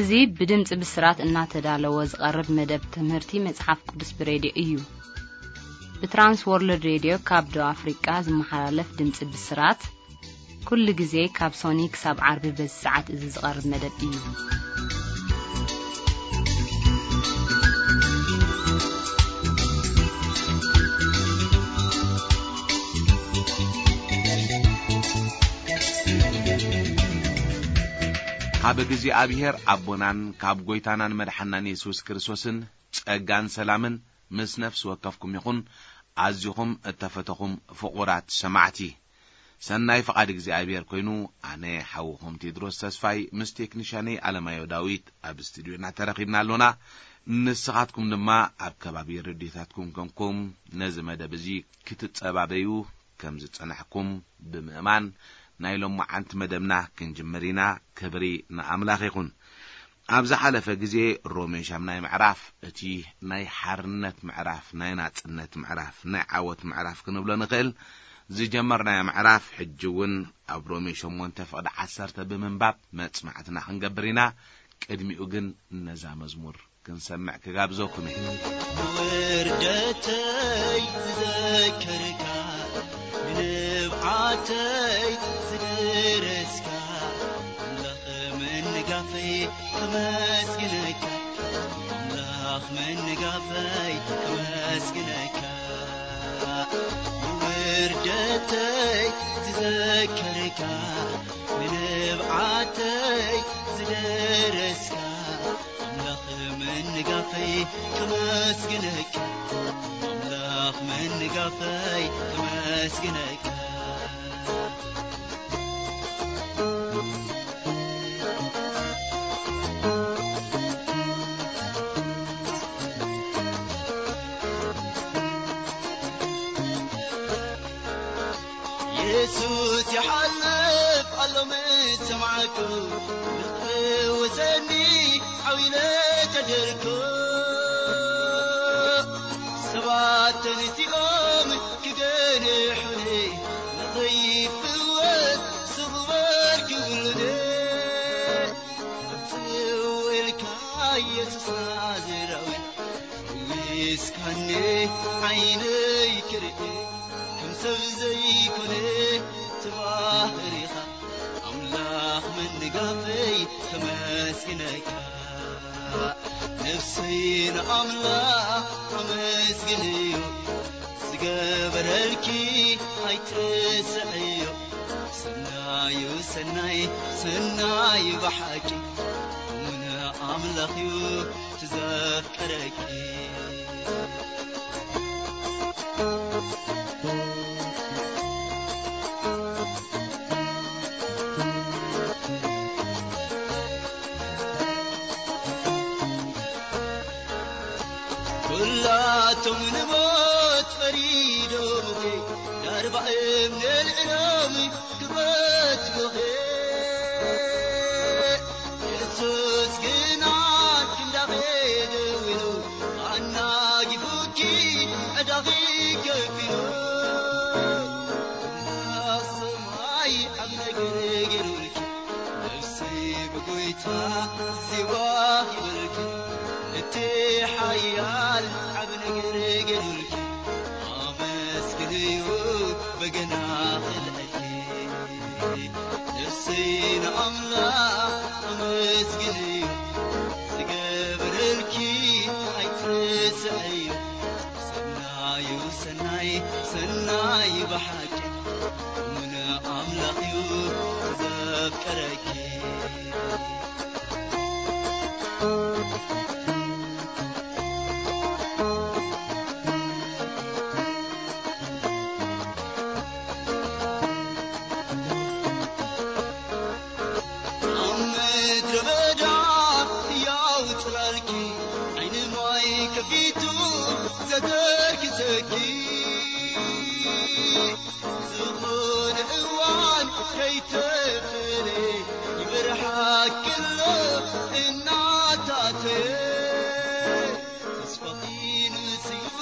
እዚ ብድምጺ ብስራት እናተዳለወ ዝቐርብ መደብ ትምህርቲ መጽሓፍ ቅዱስ ብሬድዮ እዩ። ብትራንስ ወርልድ ሬድዮ ካብ ደቡብ ኣፍሪቃ ዝመሓላለፍ ድምጺ ብስራት፣ ኩሉ ግዜ ካብ ሶኒ ክሳብ ዓርቢ በዚ ሰዓት እዚ ዝቐርብ መደብ እዩ። ካብ እግዚኣብሔር ኣቦናን ካብ ጐይታናን መድሓናን የሱስ ክርስቶስን ጸጋን ሰላምን ምስ ነፍሲ ወከፍኩም ይኹን። ኣዚኹም እተፈተኹም ፍቑራት ሰማዕቲ፣ ሰናይ ፍቓድ እግዚኣብሔር ኮይኑ፣ ኣነ ሓውኹም ቴድሮስ ተስፋይ ምስ ቴክኒሻነይ ኣለማዮ ዳዊት ኣብ ስቱድዮና ተረኺብና ኣሎና። ንስኻትኩም ድማ ኣብ ከባቢ ረድዮታትኩም ኮንኩም ነዚ መደብ እዚ ክትጸባበዩ ከም ዝጸናሕኩም ብምእማን፣ ናይ ሎማዓንቲ መደብና ክንጅምር ኢና። ክብሪ ንኣምላኽ ይኹን። ኣብ ዝሓለፈ ግዜ ሮሜ ሻምናይ ምዕራፍ፣ እቲ ናይ ሓርነት ምዕራፍ፣ ናይ ናጽነት ምዕራፍ፣ ናይ ዓወት ምዕራፍ ክንብሎ ንኽእል፣ ዝጀመርናዮ ምዕራፍ፣ ሕጂ እውን ኣብ ሮሜ ሸሞንተ ፍቕዲ ዓሰርተ ብምንባብ መጽናዕትና ክንገብር ኢና። ቅድሚኡ ግን ነዛ መዝሙር ክንሰምዕ ክጋብዘኩም እየ። ውርደተይ ዝዘከርካ፣ ንንብዓተይ ዝደረስካ፣ ኣምላኽ ምንጋፈይ ከመስግነካ፣ ኣምላኽ ምንጋፈይ ከመስግነካ። ውርደተይ ዝዘከርካ፣ ንንብዓተይ ዝደረስካ፣ ኣምላኽ ምንጋፈይ ከመስግነካ፣ ኣምላኽ ምንጋፈይ ከመስግነካ። የሱስ ይሓልፍ ኣሎ ምስ ሰማዕኩ፣ ንኽትፍውሰኒ ዓው ኢለ ተደርኩ። ሰባት ተንሲኦም ክገንሑኒ፣ ንኽይፍወስ ስቕ በል ክብሉኒ። ጽው ኢልካ የሱስ ናዝራዊ፣ ፈዊስካኒ ዓይነይ ክርኢ፣ ከም ሰብ ዘይኮነ ተባህሪኻ፣ ኣምላኽ ምንጋፈይ ከመስግነካ። ነፍሰይ ንኣምላኽ ኣመስግንዮ፣ ዝገበረልኪ ኣይትረስዕዮ። ሰናዩ ሰናይ፣ ሰናይ ብሓቂ፣ እሙን ኣምላኽዩ ትዘፍቀረኪ። ኩላቶም ንሞት ፈሪዶምኺ፣ ዳርባ እምኒ ኣልዒሎም ክቐትሉኺ። የሱስ ግና ክንዳኺ ደዊሉ፣ ኣናጊፉኪ ዕዳኺ ከፊሉ። ኣምላኽ ሰማይ ዓቢ ነገር ገይሩልኪ፣ ነፍሲ ብጎይታ ዜማ ይበልኪ። እቲ ሓያል ዓቢ ነገር ገይሩልኪ፣ ኣመስግንዮ በገና ክልዕልኪ። ነፍሰይ ንኣምላኽ ኣመስግንዮ፣ ዝገበረልኪ ኣይትረስዕዮ። ሰናዩ ሰናይ፣ ሰናይ ብሓቂ፣ እሙን ኣምላኽዩ ዘፍቀረኪ። ኣብ ምድረ በዳ ሕያው ጽላልኪ፣ ዓይኒ ማይ ከፊቱ ዘተርክሰኪ። ዝኾነ እዋን ከይተፈለየ፣ ይመርሓኪ ኣሎ እናታተየ። ተስፋኺ ንስዩ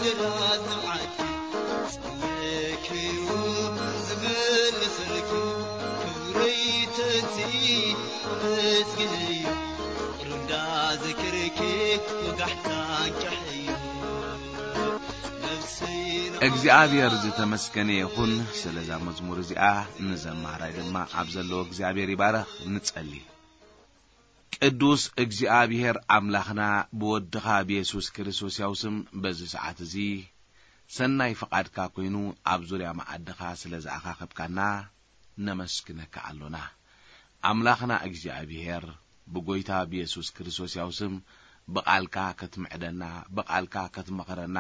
ደላት ንብዓትኪ፣ ጸውዒክዩ ዝምልሰልኪ። ክብረይ ተንስኢ ኣመስግንዮ፣ ወጋሕታ ጃሕዩ ነፍሰይ እግዚኣብሔር ዝተመስገነ ይኹን። ስለዛ መዝሙር እዚኣ ንዘማራይ ድማ ኣብ ዘለዎ እግዚኣብሔር ይባረኽ። ንጸሊ። ቅዱስ እግዚኣብሔር ኣምላኽና፣ ብወድኻ ብየሱስ ክርስቶስ ያው ስም በዚ ሰዓት እዚ ሰናይ ፍቓድካ ኮይኑ ኣብ ዙርያ መዓድኻ ስለ ዝኣኻኸብካና ነመስግነካ ኣሎና። ኣምላኽና እግዚኣብሔር፣ ብጎይታ ብየሱስ ክርስቶስ ያው ስም ብቓልካ ክትምዕደና፣ ብቓልካ ክትመኽረና፣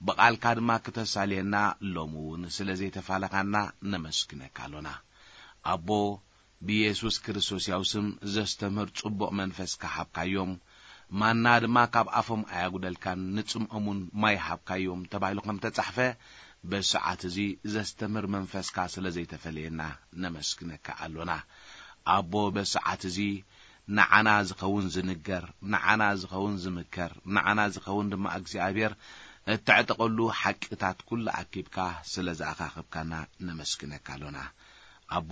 ብቓልካ ድማ ክተሳልየና ሎሚ እውን ስለ ዘይተፋለኻና ነመስግነካ ኣሎና። ኣቦ፣ ብየሱስ ክርስቶስ ያው ስም ዘስተምህር ጽቡቕ መንፈስ ከሓብካዮም፣ ማና ድማ ካብ ኣፎም ኣያጉደልካን፣ ንጽምኦም እውን ማይ ሃብካዮም ተባሂሉ ከም ተጻሕፈ፣ በሰዓት እዚ ዘስተምህር መንፈስካ ስለ ዘይተፈለየና ነመስግነካ ኣሎና። ኣቦ፣ በሰዓት እዚ ንዓና ዝኸውን ዝንገር፣ ንዓና ዝኸውን ዝምከር፣ ንዓና ዝኸውን ድማ እግዚኣብሔር እተዕጠቐሉ ሓቂታት ኩሉ ኣኪብካ ስለ ዝኣኻኽብካና ነመስግነካ ኣሎና። ኣቦ፣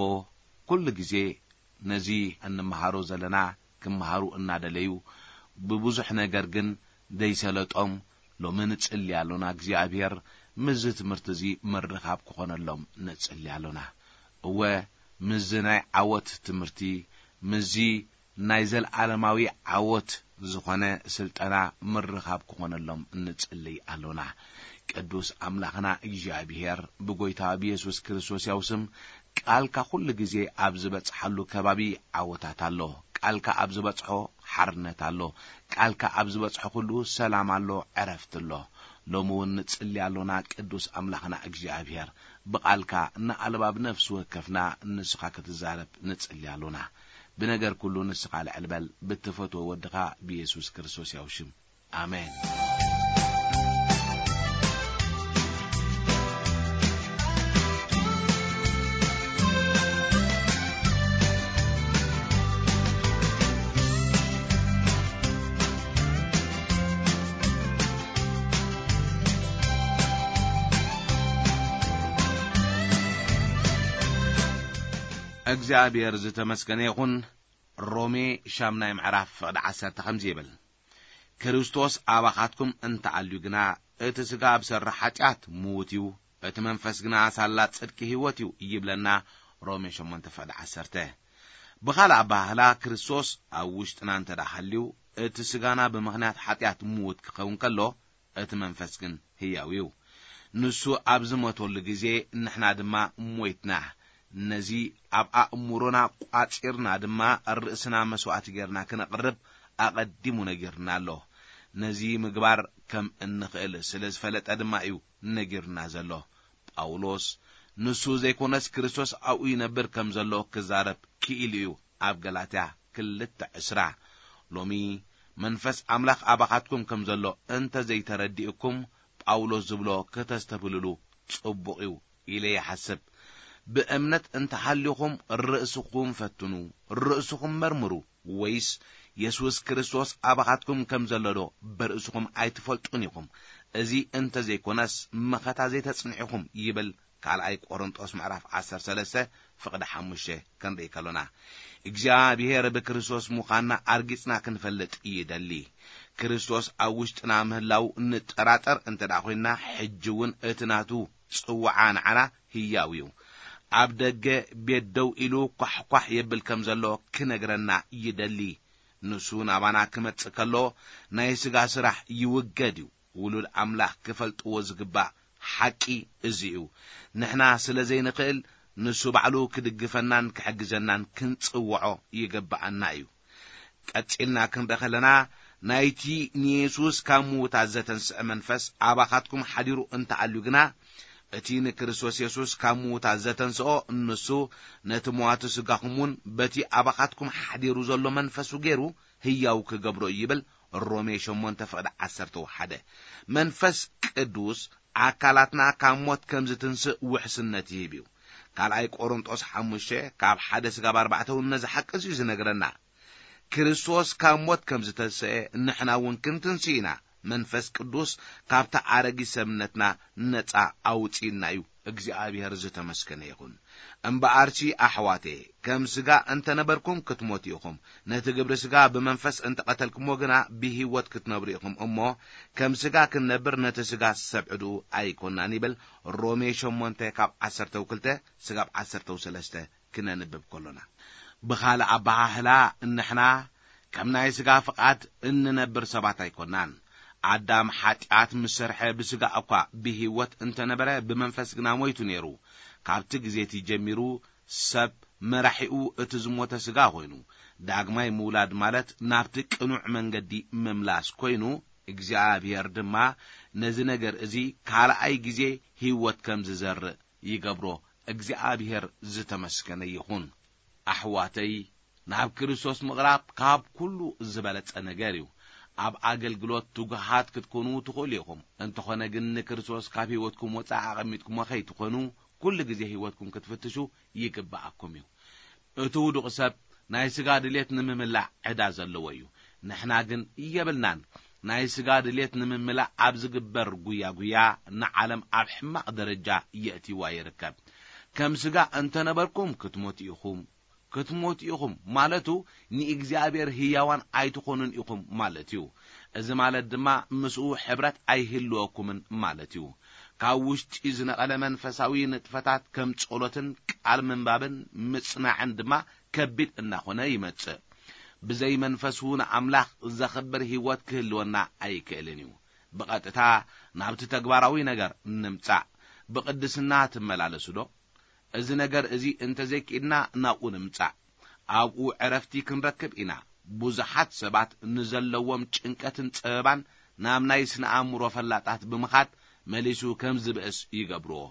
ኩሉ ግዜ ነዚ እንመሃሮ ዘለና ክመሃሩ እናደለዩ፣ ብብዙሕ ነገር ግን ደይሰለጦም፣ ሎሚ ንጽሊ ኣሎና። እግዚኣብሔር፣ ምስዚ ትምህርቲ እዚ ምርኻብ ክኾነሎም ንጽሊ ኣሎና። እወ፣ ምስዚ ናይ ዓወት ትምህርቲ፣ ምስዚ ናይ ዘልኣለማዊ ዓወት ዝኾነ ስልጠና ምርኻብ ክኾነሎም ንጽሊ ኣሎና። ቅዱስ ኣምላኽና እግዚኣብሔር፣ ብጎይታ ብየሱስ ክርስቶስ ያው ስም ቃልካ ኩሉ ግዜ ኣብ ዝበጽሓሉ ከባቢ ዓወታት ኣሎ። ቃልካ ኣብ ዝበጽሖ ሓርነት ኣሎ። ቃልካ ኣብ ዝበጽሖ ኩሉ ሰላም ኣሎ፣ ዕረፍቲ ኣሎ። ሎሚ እውን ንጽሊ ኣሎና። ቅዱስ ኣምላኽና እግዚኣብሔር፣ ብቓልካ ንኣልባብ ነፍሲ ወከፍና ንስኻ ክትዛረብ ንጽሊ ኣሎና። ብነገር ኩሉ ንስኻ ልዕል በል፣ ብትፈትዎ ወድኻ ብየሱስ ክርስቶስ ያው ሽም። ኣሜን። እግዚኣብሔር ዝተመስገነ ይኹን። ሮሜ ሻምናይ ምዕራፍ ፍቕዲ ዓሰርተ ከምዚ ይብል፣ ክርስቶስ ኣባኻትኩም እንተኣልዩ ግና፣ እቲ ሥጋ ኣብ ሠርሕ ሓጢኣት ምዉት እዩ፣ እቲ መንፈስ ግና ሳላ ጽድቂ ህይወት እዩ ይብለና። ሮሜ ሸሞንተ ፍቕዲ ዓሰርተ። ብኻልእ ኣበሃህላ፣ ክርስቶስ ኣብ ውሽጥና እንተ ደኣ ሃልዩ፣ እቲ ሥጋና ብምኽንያት ሓጢኣት ምዉት ክኸውን ከሎ፣ እቲ መንፈስ ግን ህያው እዩ። ንሱ ኣብ ዝሞተሉ ግዜ፣ ንሕና ድማ ሞይትና። ነዚ ኣብ ኣእምሮና ቋጺርና ድማ፣ ርእስና መስዋእቲ ጌርና ክነቕርብ ኣቐዲሙ ነጊርና ኣሎ። ነዚ ምግባር ከም እንኽእል ስለ ዝፈለጠ ድማ እዩ ነጊርና ዘሎ። ጳውሎስ፣ ንሱ ዘይኮነስ ክርስቶስ ኣብኡ ይነብር ከም ዘሎ ክዛረብ ክኢሉ እዩ። ኣብ ገላትያ ክልተ ዕስራ። ሎሚ መንፈስ ኣምላኽ ኣባኻትኩም ከም ዘሎ እንተ ዘይተረዲእኩም፣ ጳውሎስ ዝብሎ ከተስተብህልሉ ጽቡቕ እዩ ኢለ ይሓስብ። ብእምነት እንተሃልዩኹም ርእስኹም ፈትኑ፣ ርእስኹም መርምሩ፣ ወይስ የሱስ ክርስቶስ ኣባኻትኩም ከም ዘሎ ዶ ብርእስኹም ኣይትፈልጡን ኢኹም? እዚ እንተ ዘይኮነስ መኸታ ዘይተጽንዕኹም ይብል ካልኣይ ቆሮንጦስ ምዕራፍ ዓሰርተ ሰለስተ ፍቕዲ ሓሙሽተ ክንርኢ ከሎና፣ እግዚኣብሔር ብክርስቶስ ምዃንና ኣርጊጽና ክንፈልጥ ይደሊ። ክርስቶስ ኣብ ውሽጥና ምህላው ንጠራጠር እንተ ደኣ ኾይንና፣ ሕጂ እውን እቲ ናቱ ጽውዓ ንዓና ህያው እዩ። ኣብ ደገ ቤት ደው ኢሉ ኳሕኳሕ የብል ከም ዘሎ ክነግረና ይደሊ። ንሱ ናባና ክመጽእ ከሎ፣ ናይ ስጋ ስራሕ ይውገድ እዩ። ውሉድ ኣምላኽ ክፈልጥዎ ዝግባእ ሓቂ እዚ እዩ። ንሕና ስለ ዘይንኽእል፣ ንሱ ባዕሉ ክድግፈናን ክሕግዘናን ክንጽውዖ ይግብኣና እዩ። ቀጺልና ክንርኢ ከለና፣ ናይቲ ንየሱስ ካብ ምዉታት ዘተንስአ መንፈስ ኣባኻትኩም ሓዲሩ እንተኣልዩ ግና፣ እቲ ንክርስቶስ የሱስ ካብ ምዉታት ዘተንስኦ፣ ንሱ ነቲ መዋቲ ስጋኹም እውን በቲ ኣባኻትኩም ሓዲሩ ዘሎ መንፈሱ ገይሩ ህያው ክገብሮ እዩ ይብል ሮሜ ሸሞንተ ፍቕዲ ዓሰርተ ሓደ። መንፈስ ቅዱስ ኣካላትና ካብ ሞት ከም ዝትንስእ ውሕስነት ይህብ እዩ። ካልኣይ ቆሮንጦስ ሓሙሽተ ካብ ሓደ ስጋብ ኣርባዕተ እውን ነዚ ሓቂ እዚ እዩ ዝነግረና። ክርስቶስ ካብ ሞት ከም ዝተንስአ ንሕና እውን ክንትንስእ ኢና። መንፈስ ቅዱስ ካብታ ኣረጊት ሰብነትና ነጻ ኣውጺእና እዩ። እግዚኣብሔር ዝተመስገነ ይኹን። እምበኣርሲ ኣሕዋቴ፣ ከም ሥጋ እንተ ነበርኩም ክትሞቱ ኢኹም። ነቲ ግብሪ ሥጋ ብመንፈስ እንተ ቐተልኩሞ ግና ብህይወት ክትነብሩ ኢኹም እሞ፣ ከም ሥጋ ክንነብር ነቲ ሥጋ ሰብ ዕድኡ ኣይኮናን ይብል። ሮሜ ሸሞንተ ካብ ዓሰርተ ክልተ ስጋብ ዓሰርተ ሰለስተ ክነንብብ ከሎና። ብኻልእ ኣበሃህላ፣ እንሕና ከም ናይ ሥጋ ፍቓድ እንነብር ሰባት ኣይኮናን። ኣዳም ሓጢኣት ምስ ሰርሐ ብሥጋ እኳ ብህይወት እንተ ነበረ፣ ብመንፈስ ግና ሞይቱ ነይሩ። ካብቲ ግዜ እቲ ጀሚሩ ሰብ መራሒኡ እቲ ዝሞተ ሥጋ ኮይኑ፣ ዳግማይ ምውላድ ማለት ናብቲ ቅኑዕ መንገዲ ምምላስ ኮይኑ፣ እግዚኣብሔር ድማ ነዚ ነገር እዚ ካልኣይ ግዜ ህይወት ከም ዝዘርእ ይገብሮ። እግዚኣብሔር ዝተመስገነ ይኹን። ኣሕዋተይ፣ ናብ ክርስቶስ ምቕራብ ካብ ኩሉ ዝበለጸ ነገር እዩ። ኣብ ኣገልግሎት ትጉሃት ክትኮኑ ትኽእሉ ኢኹም። እንተኾነ ግን ንክርስቶስ ካብ ህይወትኩም ወጻኢ ኣቐሚጥኩሞ ከይትኾኑ፣ ኩሉ ግዜ ህይወትኩም ክትፍትሹ ይግብኣኩም እዩ። እቲ ውዱቕ ሰብ ናይ ሥጋ ድሌት ንምምላእ ዕዳ ዘለዎ እዩ። ንሕና ግን የብልናን። ናይ ሥጋ ድሌት ንምምላእ ኣብ ዝግበር ጉያ ጉያ ንዓለም ኣብ ሕማቕ ደረጃ የእትይዋ ይርከብ። ከም ሥጋ እንተ ነበርኩም ክትሞቱ ኢኹም። ክትሞቱ ኢኹም ማለቱ ንእግዚኣብሔር ህያዋን ኣይትኾኑን ኢኹም ማለት እዩ። እዚ ማለት ድማ ምስኡ ሕብረት ኣይህልወኩምን ማለት እዩ። ካብ ውሽጢ ዝነቐለ መንፈሳዊ ንጥፈታት ከም ጸሎትን ቃል ምንባብን ምጽናዕን ድማ ከቢድ እናኾነ ይመጽእ። ብዘይ መንፈሱ ንኣምላኽ ዘኽብር ህይወት ክህልወና ኣይክእልን እዩ። ብቐጥታ ናብቲ ተግባራዊ ነገር ንምጻእ። ብቕድስና ትመላለሱ ዶ? እዚ ነገር እዚ እንተዘይክኢልና ናብኡ ንምጻእ። ኣብኡ ዕረፍቲ ክንረክብ ኢና። ብዙሓት ሰባት ንዘለዎም ጭንቀትን ጸበባን ናብ ናይ ስነ ኣእምሮ ፈላጣት ብምኻድ መሊሱ ከም ዝብእስ ይገብርዎ።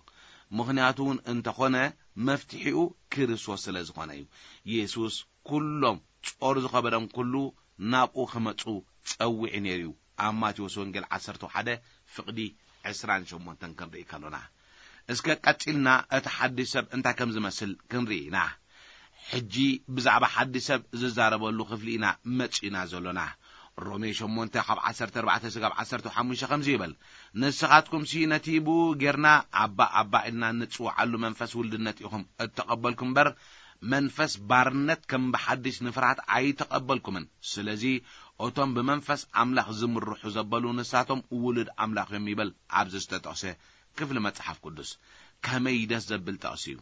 ምኽንያቱ እውን እንተኾነ መፍትሒኡ ክርስቶስ ስለ ዝኾነ እዩ። የሱስ ኩሎም ጾር ዝኸበደም ኩሉ ናብኡ ክመጹ ጸዊዑ ነይሩ እዩ። ኣብ ማቴዎስ ወንጌል ዓሰርተ ሓደ ፍቕዲ ዕስራን ሸሞንተን ክንርኢ ከሎና። እስከ ቀጺልና እቲ ሓድሽ ሰብ እንታይ ከም ዝመስል ክንርኢ ኢና። ሕጂ ብዛዕባ ሓድሽ ሰብ ዝዛረበሉ ክፍሊ ኢና መጺእና ዘሎና። ሮሜ ሸሞንተ ካብ ዓሰርተ ኣርባዕተ ስጋብ ዓሰርተ ሓሙሽተ ከምዚ ይብል፣ ንስኻትኩምሲ ነቲ ብኡ ጌርና ኣባ ኣባ ኢልና እንጽውዓሉ መንፈስ ውልድነት ኢኹም እተቐበልኩም እምበር መንፈስ ባርነት ከም ብሓድሽ ንፍርሃት ኣይተቐበልኩምን። ስለዚ እቶም ብመንፈስ ኣምላኽ ዝምርሑ ዘበሉ ንሳቶም ውሉድ ኣምላኽ እዮም ይብል ኣብዚ ዝተጠቕሰ ክፍሊ መጽሓፍ ቅዱስ። ከመይ ደስ ዘብል ጥቕሲ እዩ!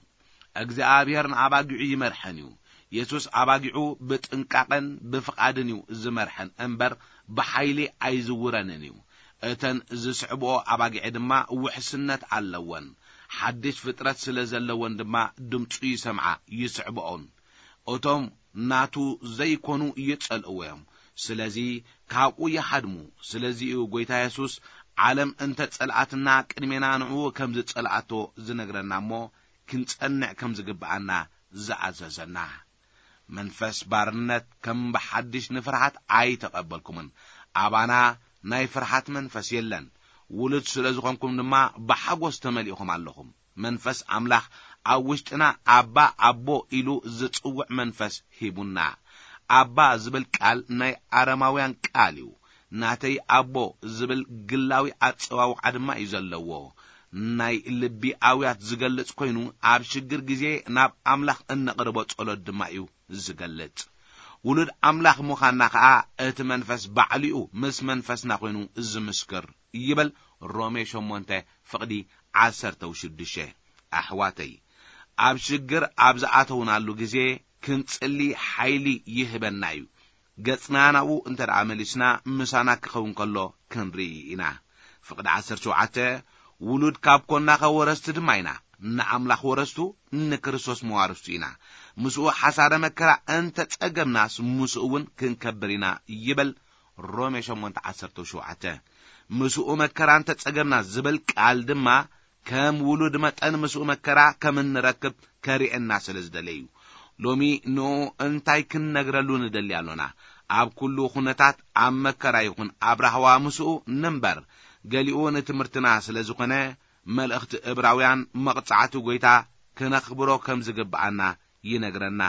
እግዚኣብሔር ንኣባጊዑ ይመርሐን እዩ። የሱስ ኣባጊዑ ብጥንቃቐን ብፍቓድን እዩ ዝመርሐን እምበር ብሓይሊ ኣይዝውረንን እዩ። እተን ዝስዕብኦ ኣባጊዕ ድማ ውሕስነት ኣለወን። ሓድሽ ፍጥረት ስለ ዘለወን ድማ ድምፁ ይሰምዓ፣ ይስዕብኦን። እቶም ናቱ ዘይኮኑ ይጸልእዎ እዮም። ስለዚ ካብኡ ይሃድሙ። ስለዚ እዩ ጐይታ የሱስ ዓለም እንተ ጸልኣትና ቅድሜና ንዕኡ ከም ዝጸልኣቶ ዝነግረና እሞ ክንጸንዕ ከም ዝግብኣና ዝኣዘዘና። መንፈስ ባርነት ከም ብሓድሽ ንፍርሃት ኣይተቐበልኩምን። ኣባና ናይ ፍርሃት መንፈስ የለን። ውሉድ ስለ ዝኾንኩም ድማ ብሓጎስ ተመሊእኹም ኣለኹም። መንፈስ ኣምላኽ ኣብ ውሽጥና ኣባ ኣቦ ኢሉ ዝጽውዕ መንፈስ ሂቡና። ኣባ ዝብል ቃል ናይ ኣረማውያን ቃል እዩ። ናተይ ኣቦ ዝብል ግላዊ ኣጸዋውዓ ድማ እዩ ዘለዎ። ናይ ልቢ ኣውያት ዝገልጽ ኮይኑ ኣብ ሽግር ግዜ ናብ ኣምላኽ እነቕርቦ ጸሎት ድማ እዩ ዝገልጽ። ውሉድ ኣምላኽ ምዃንና ኸኣ እቲ መንፈስ ባዕሊኡ ምስ መንፈስና ኮይኑ ዝምስክር ይብል ሮሜ ሸሞንተ ፍቕዲ ዓሰርተ ሽዱሽተ። ኣሕዋተይ፣ ኣብ ሽግር ኣብ ዝኣተውናሉ ግዜ ክንጽሊ ሓይሊ ይህበና እዩ። ገጽና ናብኡ እንተ ደኣ መሊስና ምሳና ክኸውን ከሎ ክንርኢ ኢና። ፍቕዲ ዓሰርተ ሸውዓተ፣ ውሉድ ካብ ኮንና ኸ ወረስቲ ድማ ኢና፣ ንኣምላኽ ወረስቱ፣ ንክርስቶስ መዋርስቱ ኢና። ምስኡ ሓሳረ መከራ እንተ ጸገብናስ ምስኡ እውን ክንከብር ኢና ይብል ሮሜ ሸሞንተ ዓሰርተ ሸውዓተ። ምስኡ መከራ እንተ ጸገብና ዝብል ቃል ድማ ከም ውሉድ መጠን ምስኡ መከራ ከም እንረክብ ከርእየና ስለ ዝደለየ እዩ። ሎሚ ንኡ እንታይ ክንነግረሉ ንደሊ ኣሎና? ኣብ ኩሉ ኩነታት ኣብ መከራ ይኹን ኣብ ራህዋ ምስኡ ንንበር። ገሊኡ ንትምህርትና ስለ ዝኾነ መልእኽቲ እብራውያን መቕጻዕቲ ጐይታ ክነኽብሮ ከም ዝግብኣና ይነግረና።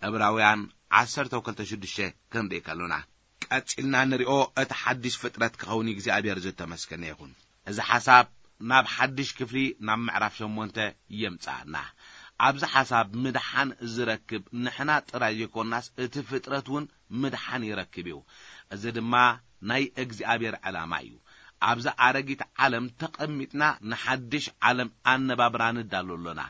እብራውያን ዓሰርተ ክልተ ሽዱሽተ ክንርኢ ከሎና። ቀጺልና ንሪኦ እቲ ሓድሽ ፍጥረት ክኸውን እግዚኣብሔር ዝተመስገነ ይኹን። እዚ ሓሳብ ናብ ሓድሽ ክፍሊ፣ ናብ ምዕራፍ ሸሞንተ የምጽኣና። ኣብዚ ሓሳብ ምድሓን ዝረክብ ንሕና ጥራይ ዘይኮናስ እቲ ፍጥረት እውን ምድሓን ይረክብ እዩ። እዚ ድማ ናይ እግዚኣብሔር ዕላማ እዩ። ኣብዚ ኣረጊት ዓለም ተቐሚጥና ንሓድሽ ዓለም ኣነባብራ ንዳሎ ኣሎና።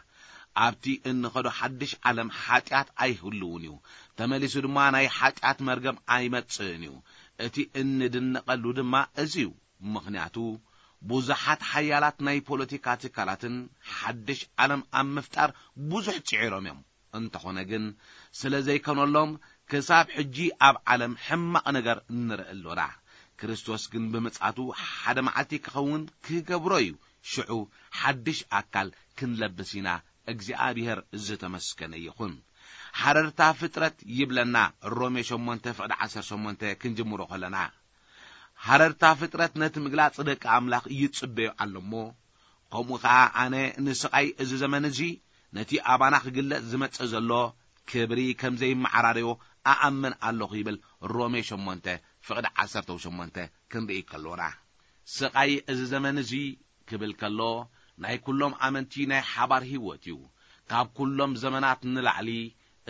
ኣብቲ እንኸዶ ሓድሽ ዓለም ሓጢኣት ኣይህልውን እዩ። ተመሊሱ ድማ ናይ ሓጢኣት መርገም ኣይመጽእን እዩ። እቲ እንድነቐሉ ድማ እዚ እዩ። ምኽንያቱ ብዙሓት ሓያላት ናይ ፖለቲካ ትካላትን ሓድሽ ዓለም ኣብ ምፍጣር ብዙሕ ጽዒሮም እዮም። እንተኾነ ግን ስለ ዘይከነሎም ክሳብ ሕጂ ኣብ ዓለም ሕማቕ ነገር ንርኢ ኣሎና። ክርስቶስ ግን ብምጽኣቱ ሓደ መዓልቲ ክኸውን ክገብሮ እዩ። ሽዑ ሓድሽ ኣካል ክንለብስ ኢና። እግዚኣብሔር ዝተመስገነ ይኹን። ሓረርታ ፍጥረት ይብለና ሮሜ ሸሞንተ ፍቕዲ ዓሰርተ ሸሞንተ ክንጅምሮ ከለና፣ ሓረርታ ፍጥረት ነቲ ምግላጽ ደቂ ኣምላኽ ይጽበዮ ኣሎ እሞ፣ ከምኡ ኸኣ ኣነ ንስቓይ እዚ ዘመን እዚ ነቲ ኣባና ክግለጽ ዝመጽእ ዘሎ ክብሪ ከም ዘይመዓራረዮ ኣኣምን ኣለኹ ይብል ሮሜ ሸሞንተ ፍቕዲ ዓሰርተ ሸሞንተ ክንርኢ ከሎና። ስቓይ እዚ ዘመን እዚ ክብል ከሎ ናይ ኩሎም ኣመንቲ ናይ ሓባር ህይወት እዩ። ካብ ኩሎም ዘመናት ንላዕሊ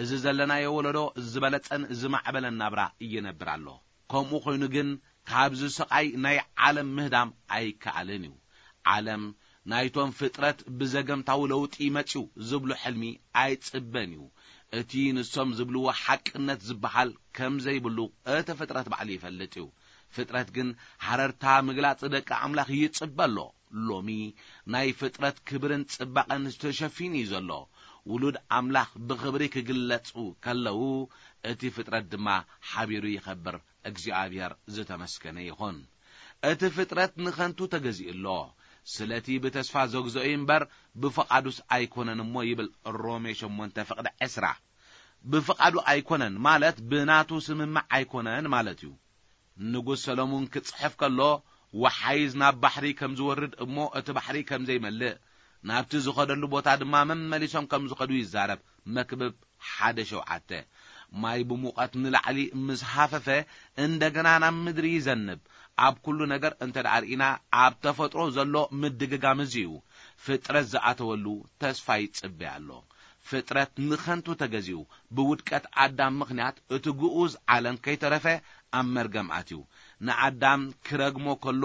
እዚ ዘለናዮ ወለዶ ዝበለጸን ዝማዕበለን ናብራ ይነብር ኣሎ። ከምኡ ኮይኑ ግን ካብዚ ስቓይ ናይ ዓለም ምህዳም ኣይከኣልን እዩ። ዓለም ናይቶም ፍጥረት ብዘገምታዊ ለውጢ መጺኡ ዝብሉ ሕልሚ ኣይጽበን እዩ። እቲ ንሶም ዝብልዎ ሓቅነት ዝበሃል ከም ዘይብሉ እቲ ፍጥረት ባዕሉ ይፈልጥ እዩ። ፍጥረት ግን ሓረርታ ምግላጽ ደቂ ኣምላኽ ይጽበ ኣሎ። ሎሚ ናይ ፍጥረት ክብርን ጽባቐን ዝተሸፊኑ እዩ ዘሎ። ውሉድ ኣምላኽ ብኽብሪ ክግለጹ ከለዉ፣ እቲ ፍጥረት ድማ ሓቢሩ ይኸብር። እግዚኣብሔር ዝተመስገነ ይኹን። እቲ ፍጥረት ንኸንቱ ተገዚኡ ኣሎ። ስለቲ ብተስፋ ዘግዝኦ እዩ እምበር ብፍቓዱስ ኣይኮነን እሞ ይብል ሮሜ ሸሞንተ ፍቕዲ ዕስራ። ብፍቓዱ ኣይኮነን ማለት ብናቱ ስምምዕ ኣይኮነን ማለት እዩ። ንጉስ ሰሎሞን ክጽሕፍ ከሎ፣ ወሓይዝ ናብ ባሕሪ ከም ዝወርድ እሞ እቲ ባሕሪ ከም ዘይመልእ፣ ናብቲ ዝኸደሉ ቦታ ድማ መመሊሶም ከም ዝኸዱ ይዛረብ። መክብብ ሓደ ሸውዓተ። ማይ ብሙቐት ንላዕሊ ምስ ሃፈፈ እንደገና ናብ ምድሪ ይዘንብ። ኣብ ኩሉ ነገር እንተ ደኣ ርኢና ኣብ ተፈጥሮ ዘሎ ምድግጋም እዚ እዩ። ፍጥረት ዝኣተወሉ ተስፋ ይጽበ ኣሎ። ፍጥረት ንኸንቱ ተገዚኡ ብውድቀት ኣዳም ምኽንያት እቲ ግኡዝ ዓለም ከይተረፈ ኣብ መርገም ኣትዩ። ንኣዳም ክረግሞ ከሎ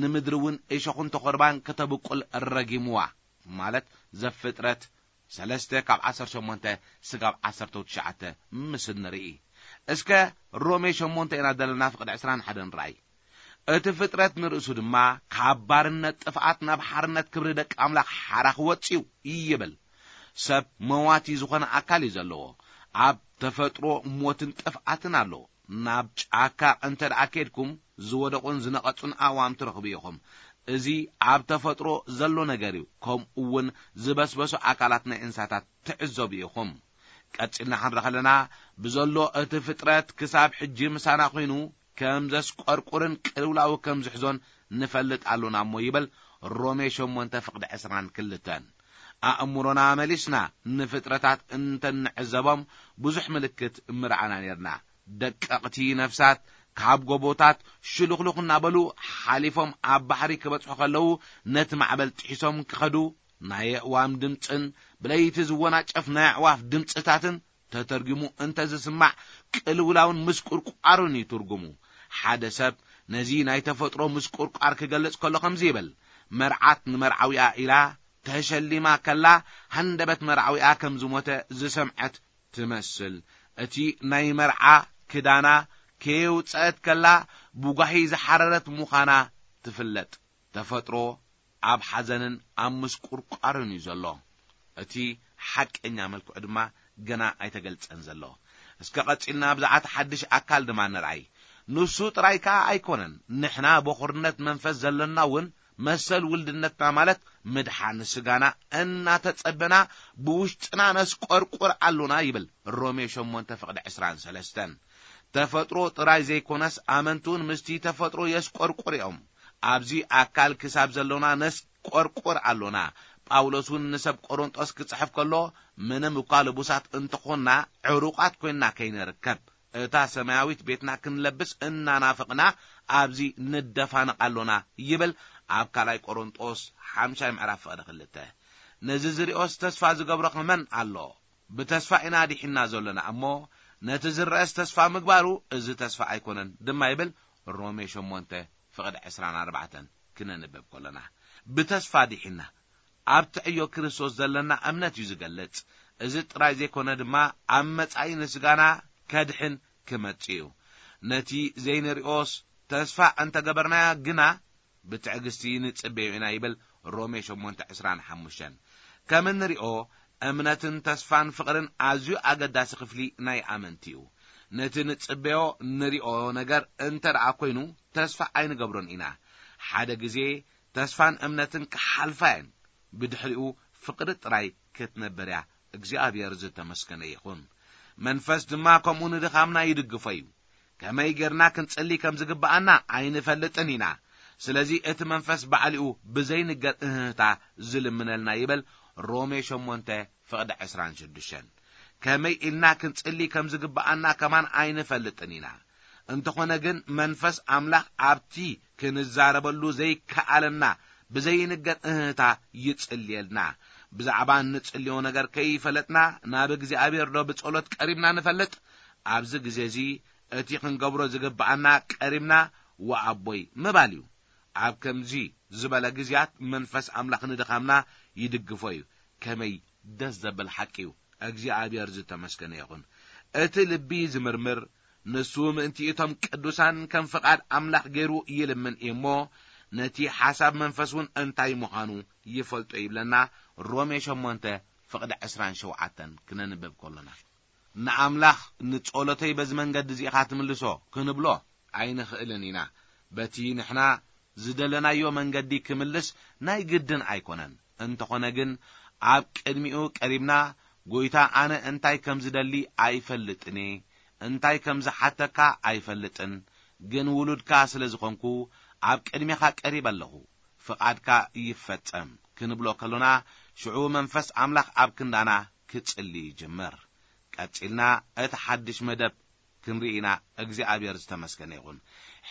ንምድሪ እውን እሾኽን ተኾርባን ከተብቁል ረጊምዋ። ማለት ዘፍጥረት ሰለስተ ካብ ዓሰርተ ሸሞንተ ስጋብ ዓሰርተ ትሽዓተ ምስ ንርኢ። እስከ ሮሜ ሸሞንተ ኢና ዘለና ፍቕዲ ዕስራን ሓደን ርኣይ። እቲ ፍጥረት ንርእሱ ድማ ካብ ባርነት ጥፍኣት ናብ ሓርነት ክብሪ ደቂ ኣምላኽ ሓራ ክወጽእ እዩ ይብል። ሰብ መዋቲ ዝኾነ ኣካል እዩ ዘለዎ። ኣብ ተፈጥሮ ሞትን ጥፍኣትን ኣሎ። ናብ ጫካ እንተ ደኣ ኬድኩም ዝወደቑን ዝነቐጹን ኣእዋም ትረኽቡ ኢኹም። እዚ ኣብ ተፈጥሮ ዘሎ ነገር እዩ። ከምኡ እውን ዝበስበሱ ኣካላት ናይ እንስሳታት ትዕዘቡ ኢኹም። ቀጺልና ክንርኢ ከለና ብዘሎ እቲ ፍጥረት ክሳብ ሕጂ ምሳና ኮይኑ ከም ዘስቆርቁርን ቅልውላው ከም ዝሕዞን ንፈልጥ ኣሎና እሞ ይብል ሮሜ ሸሞንተ ፍቕዲ ዕስራን ክልተን። ኣእምሮና መሊስና ንፍጥረታት እንተንዕዘቦም ብዙሕ ምልክት ምረኣና ኔርና። ደቀቕቲ ነፍሳት ካብ ጎቦታት ሽሉኽሉኽ እናበሉ ሓሊፎም ኣብ ባሕሪ ክበጽሑ ከለዉ ነቲ ማዕበል ጥሒሶም ክኸዱ ናይ ኣእዋም ድምጽን ብለይቲ ዝወናጨፍ ናይ ኣዕዋፍ ድምጽታትን ተተርጊሙ እንተ ዝስማዕ ቅልውላውን ምስቁርቋሩን እዩ ትርጉሙ። ሓደ ሰብ ነዚ ናይ ተፈጥሮ ምስቁርቋር ክገልጽ ከሎ ከምዚ ይብል፣ መርዓት ንመርዓዊኣ ኢላ ተሸሊማ ከላ ሃንደበት መርዓዊኣ ከም ዝሞተ ዝሰምዐት ትመስል። እቲ ናይ መርዓ ክዳና ከየውጸአት ከላ ብጓሂ ዝሓረረት ምዃና ትፍለጥ። ተፈጥሮ ኣብ ሓዘንን ኣብ ምስቁርቋርን እዩ ዘሎ። እቲ ሓቀኛ መልክዑ ድማ ገና ኣይተገልጸን ዘሎ። እስከ ቀጺልና ብዛዕባ ሓድሽ ኣካል ድማ ንርኣይ። ንሱ ጥራይ ከኣ ኣይኮነን፣ ንሕና በኹርነት መንፈስ ዘለና እውን መሰል ውልድነትና ማለት ምድሓን ስጋና እናተጸበና ብውሽጥና ነስቆርቁር ኣሎና ይብል ሮሜ ሸሞንተ ፍቕዲ ዕስራን ሰለስተን። ተፈጥሮ ጥራይ ዘይኮነስ ኣመንትውን ምስቲ ተፈጥሮ የስቆርቁር እዮም። ኣብዚ ኣካል ክሳብ ዘሎና ነስቆርቁር ኣሎና። ጳውሎስ እውን ንሰብ ቆሮንጦስ ክጽሕፍ ከሎ ምንም እኳ ልቡሳት እንተኾንና ዕሩቓት ኮይንና ከይንርከብ እታ ሰማያዊት ቤትና ክንለብስ እናናፍቕና ኣብዚ ንደፋነቕ ኣሎና ይብል ኣብ ካልኣይ ቆሮንጦስ ሓምሻይ ምዕራፍ ፍቕዲ ክልተ። ነዚ ዝሪኦስ ተስፋ ዝገብሮ ከመን ኣሎ? ብተስፋ ኢና ዲሒና ዘሎና እሞ፣ ነቲ ዝረአስ ተስፋ ምግባሩ እዚ ተስፋ ኣይኮነን ድማ ይብል። ሮሜ ሸሞንተ ፍቕዲ ዕስራን ኣርባዕተን ክነንብብ ከሎና፣ ብተስፋ ዲሒና ኣብ ትዕዮ ክርስቶስ ዘለና እምነት እዩ ዝገልጽ። እዚ ጥራይ ዘይኮነ ድማ ኣብ መጻኢ ንስጋና ከድሕን ክመጽእ እዩ። ነቲ ዘይንሪኦስ ተስፋ እንተገበርናዮ ግና ብትዕግስቲ ንጽበዮ ኢና ይብል ሮሜ ሸሞንተ ዕስራን ሓሙሽተን። ከም እንሪኦ እምነትን ተስፋን ፍቕርን ኣዝዩ ኣገዳሲ ክፍሊ ናይ ኣመንቲ እዩ። ነቲ ንጽበዮ ንሪኦ ነገር እንተ ደኣ ኮይኑ ተስፋ ኣይንገብሮን ኢና። ሓደ ግዜ ተስፋን እምነትን ክሓልፋ እየን። ብድሕሪኡ ፍቕሪ ጥራይ ክትነብር እያ። እግዚኣብሔር ዝተመስገነ ይኹን። መንፈስ ድማ ከምኡ ንድኻምና ይድግፎ እዩ። ከመይ ጌርና ክንጽሊ ከም ዝግብኣና ኣይንፈልጥን ኢና። ስለዚ እቲ መንፈስ ባዕሊኡ ብዘይንገር እህህታ ዝልምነልና ይብል ሮሜ ሸሞንተ ፍቕዲ ዕስራን ሽዱሽተን። ከመይ ኢልና ክንጽሊ ከም ዝግብኣና ከማን ኣይንፈልጥን ኢና። እንተኾነ ግን መንፈስ ኣምላኽ ኣብቲ ክንዛረበሉ ዘይከኣለና ብዘይንገር እህህታ ይጽልየልና። ብዛዕባ እንጽልዮ ነገር ከይፈለጥና ናብ እግዚኣብሔር ዶ ብጸሎት ቀሪብና ንፈልጥ? ኣብዚ ግዜ እዚ እቲ ክንገብሮ ዝግብኣና ቀሪብና ወኣቦይ ምባል እዩ። ኣብ ከምዚ ዝበለ ግዜያት መንፈስ ኣምላኽ ንድኻምና ይድግፎ እዩ። ከመይ ደስ ዘብል ሓቂ እዩ። እግዚኣብሔር ዝተመስገነ ይኹን። እቲ ልቢ ዝምርምር፣ ንሱ ምእንቲ እቶም ቅዱሳን ከም ፍቓድ ኣምላኽ ገይሩ ይልምን እዩ እሞ፣ ነቲ ሓሳብ መንፈስ እውን እንታይ ምዃኑ ይፈልጦ ይብለና ሮሜ ሸሞንተ ፍቕዲ ዕስራን ሸውዓተን ክነንብብ ከሎና፣ ንኣምላኽ ንጸሎተይ በዚ መንገዲ እዚ ኢኻ ትምልሶ ክንብሎ ኣይንኽእልን ኢና። በቲ ንሕና ዝደለናዮ መንገዲ ክምልስ ናይ ግድን ኣይኮነን። እንተኾነ ግን ኣብ ቅድሚኡ ቀሪብና፣ "ጎይታ፣ ኣነ እንታይ ከም ዝደሊ ኣይፈልጥን እየ፣ እንታይ ከም ዝሓተካ ኣይፈልጥን፣ ግን ውሉድካ ስለ ዝኾንኩ ኣብ ቅድሜኻ ቀሪበ ኣለኹ፣ ፍቓድካ ይፈጸም" ክንብሎ ከሎና፣ ሽዑ መንፈስ ኣምላኽ ኣብ ክንዳና ክጽሊ ይጅምር። ቀጺልና እቲ ሓድሽ መደብ ክንርኢ ኢና። እግዚኣብሔር ዝተመስገነ ይኹን።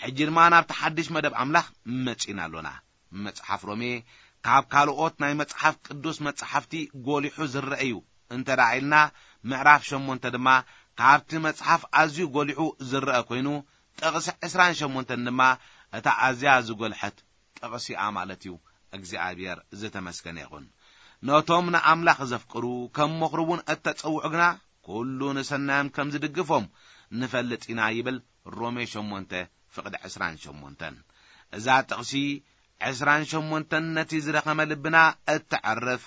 ሕጂ ድማ ናብቲ ሓድሽ መደብ ኣምላኽ መጺና ኣሎና። መጽሓፍ ሮሜ ካብ ካልኦት ናይ መጽሓፍ ቅዱስ መጽሓፍቲ ጎሊሑ ዝረአ እዩ እንተ ደኣ ኢልና፣ ምዕራፍ ሸሞንተ ድማ ካብቲ መጽሓፍ ኣዝዩ ጎሊሑ ዝረአ ኮይኑ፣ ጥቕሲ ዕስራን ሸሞንተን ድማ እታ ኣዝያ ዝጎልሐት ጥቕሲ እያ ማለት እዩ። እግዚኣብሔር ዝተመስገነ ይኹን። ነቶም ንኣምላኽ ዘፍቅሩ ከም ምኽሩ እውን እተጸውዑ ግና፣ ኩሉ ንሰናዮም ከም ዝድግፎም ንፈልጥ ኢና ይብል ሮሜ ሸሞንተ ፍቕዲ ዕስራን ሸሞንተን። እዛ ጥቕሲ ዕስራን ሸሞንተን ነቲ ዝደኸመ ልብና እተዕርፍ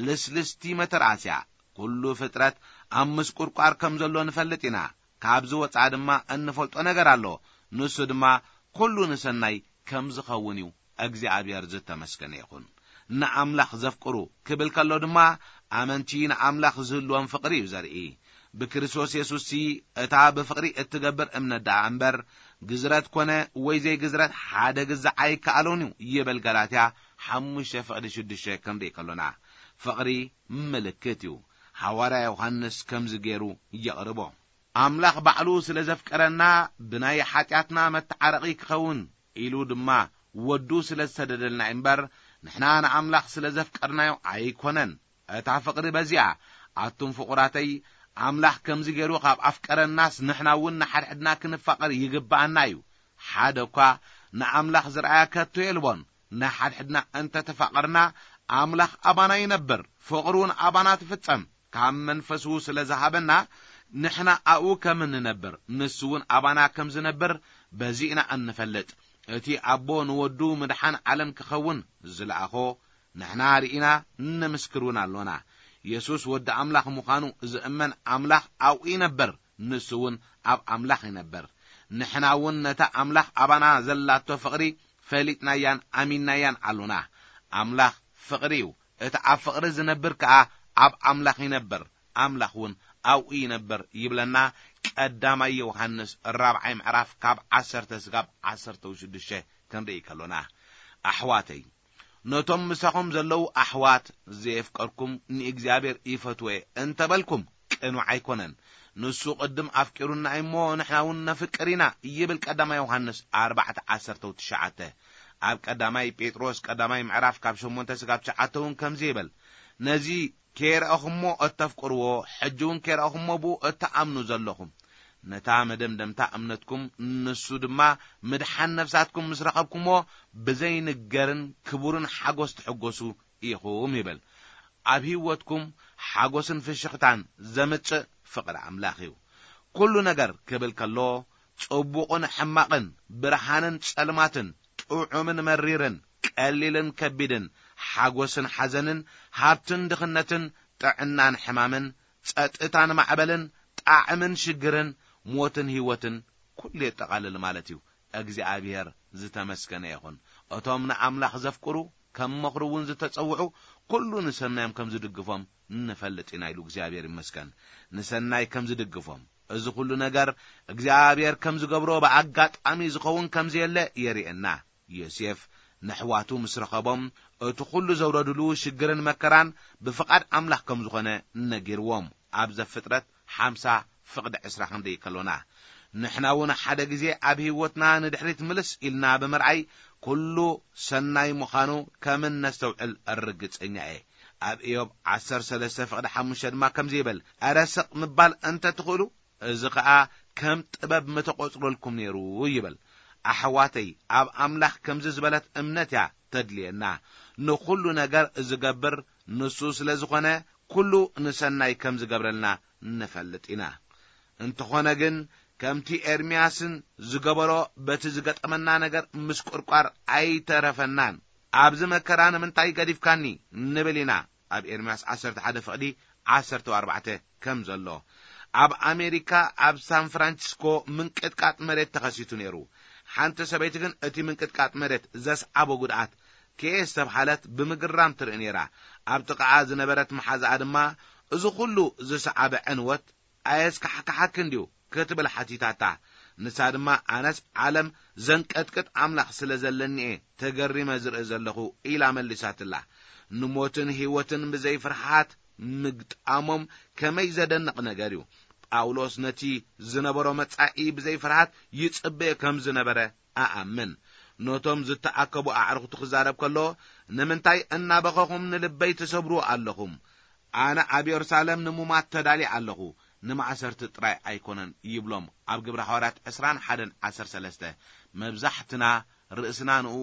ልስልስቲ መተርኣስ እያ። ኩሉ ፍጥረት ኣብ ምስቁርቋር ከም ዘሎ ንፈልጥ ኢና። ካብዚ ወጻኢ ድማ እንፈልጦ ነገር ኣሎ። ንሱ ድማ ኩሉ ንሰናይ ከም ዝኸውን እዩ። እግዚኣብሔር ዝተመስገነ ይኹን። ንኣምላኽ ዘፍቅሩ ክብል ከሎ ድማ፣ ኣመንቲ ንኣምላኽ ዝህልዎም ፍቕሪ እዩ ዘርኢ። ብክርስቶስ የሱስሲ እታ ብፍቕሪ እትገብር እምነት ደኣ እምበር፣ ግዝረት ኮነ ወይ ዘይግዝረት ሓደ ግዛዕ ኣይከኣሎን እዩ ይብል ጋላትያ ሓሙሽተ ፍቕዲ ሽዱሽተ ክንርኢ ከሎና። ፍቕሪ ምልክት እዩ። ሃዋርያ ዮሃንስ ከምዚ ገይሩ የቕርቦ። ኣምላኽ ባዕሉ ስለ ዘፍቀረና፣ ብናይ ሓጢኣትና መተዓረቒ ክኸውን ኢሉ ድማ ወዱ ስለ ዝሰደደልና እምበር፣ ንሕና ንኣምላኽ ስለ ዘፍቀርናዮ ኣይኮነን። እታ ፍቕሪ በዚኣ። ኣቱም ፍቑራተይ፣ ኣምላኽ ከምዚ ገይሩ ካብ ኣፍቀረናስ፣ ንሕና እውን ንሓድሕድና ክንፋቐር ይግብኣና እዩ። ሓደ እኳ ንኣምላኽ ዝረኣያ ከቶ የልቦን። ንሓድሕድና እንተ ተፋቐርና፣ ኣምላኽ ኣባና ይነብር፣ ፍቕሩ እውን ኣባና ትፍጸም። ካብ መንፈሱ ስለ ዝሃበና፣ ንሕና ኣብኡ ከም እንነብር፣ ንሱ እውን ኣባና ከም ዝነብር በዚ ኢና እንፈልጥ። እቲ ኣቦ ንወዱ ምድሓን ዓለም ክኸውን ዝለኣኾ ንሕና ርኢና፣ ንምስክር እውን ኣሎና። የሱስ ወዲ ኣምላኽ ምዃኑ ዝእመን፣ ኣምላኽ ኣብኡ ይነብር፣ ንሱ እውን ኣብ ኣምላኽ ይነብር። ንሕና እውን ነታ ኣምላኽ ኣባና ዘላቶ ፍቕሪ ፈሊጥናያን ኣሚንናያን ኣሎና። ኣምላኽ ፍቕሪ እዩ። እቲ ኣብ ፍቕሪ ዝነብር ከኣ ኣብ ኣምላኽ ይነብር፣ ኣምላኽ እውን ኣብኡ ይነብር ይብለና ቀዳማይ ዮሃንስ ራብዓይ ምዕራፍ ካብ ዓሰርተ ስጋብ ዓሰርተ ሽዱሽተ ክንርኢ ከሎና። ኣሕዋተይ፣ ነቶም ምሳኹም ዘለዉ ኣሕዋት ዘየፍቀርኩም ንእግዚኣብሔር ይፈትዎ እየ እንተበልኩም ቅኑዕ ኣይኮነን። ንሱ ቅድም ኣፍቂሩና እሞ ንሕና እውን ነፍቅር ኢና ይብል ቀዳማይ ዮሃንስ ኣርባዕተ ዓሰርተ ትሽዓተ። ኣብ ቀዳማይ ጴጥሮስ ቀዳማይ ምዕራፍ ካብ ሸሞንተ ስጋብ ትሽዓተ እውን ከምዚ ይብል፣ ነዚ ከይረኣኹሞ እተፍቅርዎ፣ ሕጂ እውን ከይረኣኹሞ ብኡ እትኣምኑ ዘለኹም፣ ነታ መደምደምታ እምነትኩም፣ ንሱ ድማ ምድሓን ነፍሳትኩም ምስ ረኸብኩሞ፣ ብዘይንገርን ክቡርን ሓጎስ ትሕጎሱ ኢኹም ይብል። ኣብ ህይወትኩም ሓጎስን ፍሽኽታን ዘምጽእ ፍቕሪ ኣምላኽ እዩ። ኩሉ ነገር ክብል ከሎ፣ ጽቡቕን ሕማቕን፣ ብርሃንን ጸልማትን፣ ጥዑምን መሪርን፣ ቀሊልን ከቢድን፣ ሓጎስን ሓዘንን፣ ሃብትን ድኽነትን፣ ጥዕናን ሕማምን፣ ጸጥታን ማዕበልን፣ ጣዕምን ሽግርን፣ ሞትን ህይወትን፣ ኩሉ የጠቓልል ማለት እዩ። እግዚኣብሔር ዝተመስገነ ይኹን። እቶም ንኣምላኽ ዘፍቅሩ፣ ከም ምኽሩ እውን ዝተጸውዑ፣ ኩሉ ንሰናዮም ከም ዝድግፎም ንፈልጥ ኢና ኢሉ እግዚኣብሔር ይመስገን። ንሰናይ ከም ዝድግፎም፣ እዚ ኩሉ ነገር እግዚኣብሔር ከም ዝገብሮ ብኣጋጣሚ ዝኸውን ከም ዘየለ የርእየና። ዮሴፍ ንሕዋቱ ምስ ረኸቦም፣ እቲ ኩሉ ዘውረድሉ ሽግርን መከራን ብፍቓድ ኣምላኽ ከም ዝኾነ ነጊርዎም። ኣብ ዘፍጥረት ሓምሳ ፍቕዲ ዕስራ ክንደይ ከሎና፣ ንሕና እውን ሓደ ግዜ ኣብ ህይወትና ንድሕሪት ምልስ ኢልና ብምርኣይ፣ ኩሉ ሰናይ ምዃኑ ከም እነስተውዕል ርግጸኛ እየ። ኣብ ኢዮብ ዓሰርተ ሰለስተ ፍቕዲ ሓሙሽተ ድማ ከምዚ ይብል፣ "እረ ስቕ ምባል እንተ ትኽእሉ፣ እዚ ኸኣ ከም ጥበብ ምተቖጽረልኩም ነይሩ" ይብል። ኣሕዋተይ፣ ኣብ ኣምላኽ ከምዚ ዝበለት እምነት እያ ተድልየና። ንኹሉ ነገር ዝገብር ንሱ ስለ ዝኾነ፣ ኩሉ ንሰናይ ከም ዝገብረልና ንፈልጥ ኢና። እንተኾነ ግን፣ ከምቲ ኤርምያስን ዝገበሮ፣ በቲ ዝገጠመና ነገር ምስቁርቋር ኣይተረፈናን። ኣብዚ መከራ ንምንታይ ገዲፍካኒ? ንብል ኢና። ኣብ ኤርምያስ ዓሰርተ ሓደ ፍቕዲ ዓሰርተ ኣርባዕተ ከም ዘሎ። ኣብ ኣሜሪካ፣ ኣብ ሳን ፍራንሲስኮ ምንቅጥቃጥ መሬት ተኸሲቱ ነይሩ። ሓንቲ ሰበይቲ ግን እቲ ምንቅጥቃጥ መሬት ዘስዓቦ ጉድኣት ከየስተብሃለት ብምግራም ትርኢ ነይራ። ኣብ ጥቓኣ ዝነበረት መሓዛኣ ድማ፣ "እዚ ኩሉ ዝሰዓበ ዕንወት ኣየስካሕክሓክን ድዩ?" ክትብል ሓቲታታ። ንሳ ድማ፣ "ኣነስ ዓለም ዘንቀጥቅጥ ኣምላኽ ስለ ዘለኒ እየ ተገሪመ ዝርኢ ዘለኹ" ኢላ መሊሳትላ። ንሞትን ህይወትን ብዘይ ፍርሃት ምግጣሞም ከመይ ዘደንቕ ነገር እዩ! ጳውሎስ ነቲ ዝነበሮ መጻኢ ብዘይ ፍርሃት ይጽበዮ ከም ዝነበረ ኣኣምን። ነቶም ዝተኣከቡ ኣዕሩኽቱ ክዛረብ ከሎ፣ "ንምንታይ እናበኸኹም ንልበይ ትሰብሩ ኣለኹም? ኣነ ኣብ የሩሳሌም ንሙማት ተዳልየ ኣለኹ፣ ንማእሰርቲ ጥራይ ኣይኮነን" ይብሎም። ኣብ ግብረ ሃዋርያት ዕስራን ሓደን ዓሰርተ ሰለስተ። መብዛሕትና ርእስና ንእኡ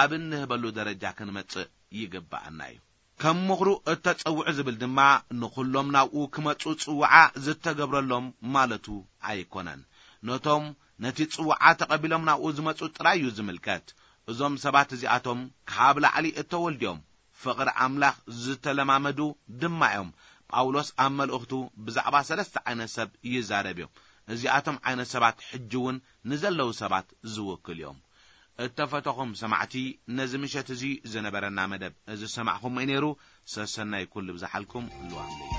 ኣብ እንህበሉ ደረጃ ክንመጽእ ይግብኣና እዩ። ከም ምኽሩ እተጸውዑ ዝብል ድማ ንኹሎም ናብኡ ክመጹ ጽውዓ ዝተገብረሎም ማለቱ ኣይኮነን። ነቶም ነቲ ጽውዓ ተቐቢሎም ናብኡ ዝመጹ ጥራይ እዩ ዝምልከት። እዞም ሰባት እዚኣቶም ካብ ላዕሊ እተወልዱ እዮም። ፍቕሪ ኣምላኽ ዝተለማመዱ ድማ እዮም። ጳውሎስ ኣብ መልእኽቱ ብዛዕባ ሰለስተ ዓይነት ሰብ ይዛረብ እዩ። እዚኣቶም ዓይነት ሰባት ሕጂ እውን ንዘለዉ ሰባት ዝውክል እዮም። እተፈተኹም ሰማዕቲ፣ ነዚ ምሸት እዚ ዝነበረና መደብ እዚ ዝሰማዕኹሞ እዩ ነይሩ። ሰሰናይ ኩሉ ብዝሓልኩም ልዋም ለይቲ።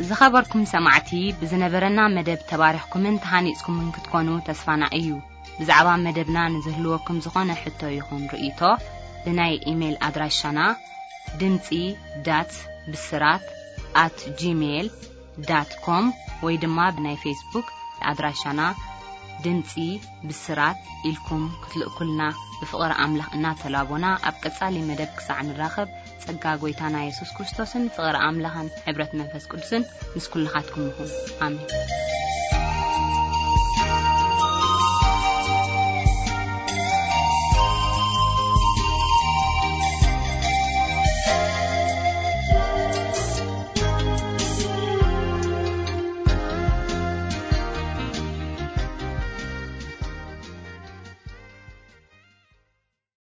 ዝኸበርኩም ሰማዕቲ፣ ብዝነበረና መደብ ተባሪኽኩምን ተሃኒጽኩምን ክትኮኑ ተስፋና እዩ። ብዛዕባ መደብና ንዝህልወኩም ዝኾነ ሕቶ ይኹን ርእይቶ፣ ብናይ ኢሜይል ኣድራሻና ድምጺ ዳት ብስራት ኣት ጂሜይል ዳት ኮም ወይ ድማ ብናይ ፌስቡክ ኣድራሻና ድምጺ ብስራት ኢልኩም ክትልእኩልና ብፍቕሪ ኣምላኽ እናተላቦና፣ ኣብ ቀጻሊ መደብ ክሳዕ ንራኸብ፣ ጸጋ ጐይታና የሱስ ክርስቶስን ፍቕሪ ኣምላኽን ሕብረት መንፈስ ቅዱስን ምስ ኩልኻትኩም ይኹን። ኣሜን።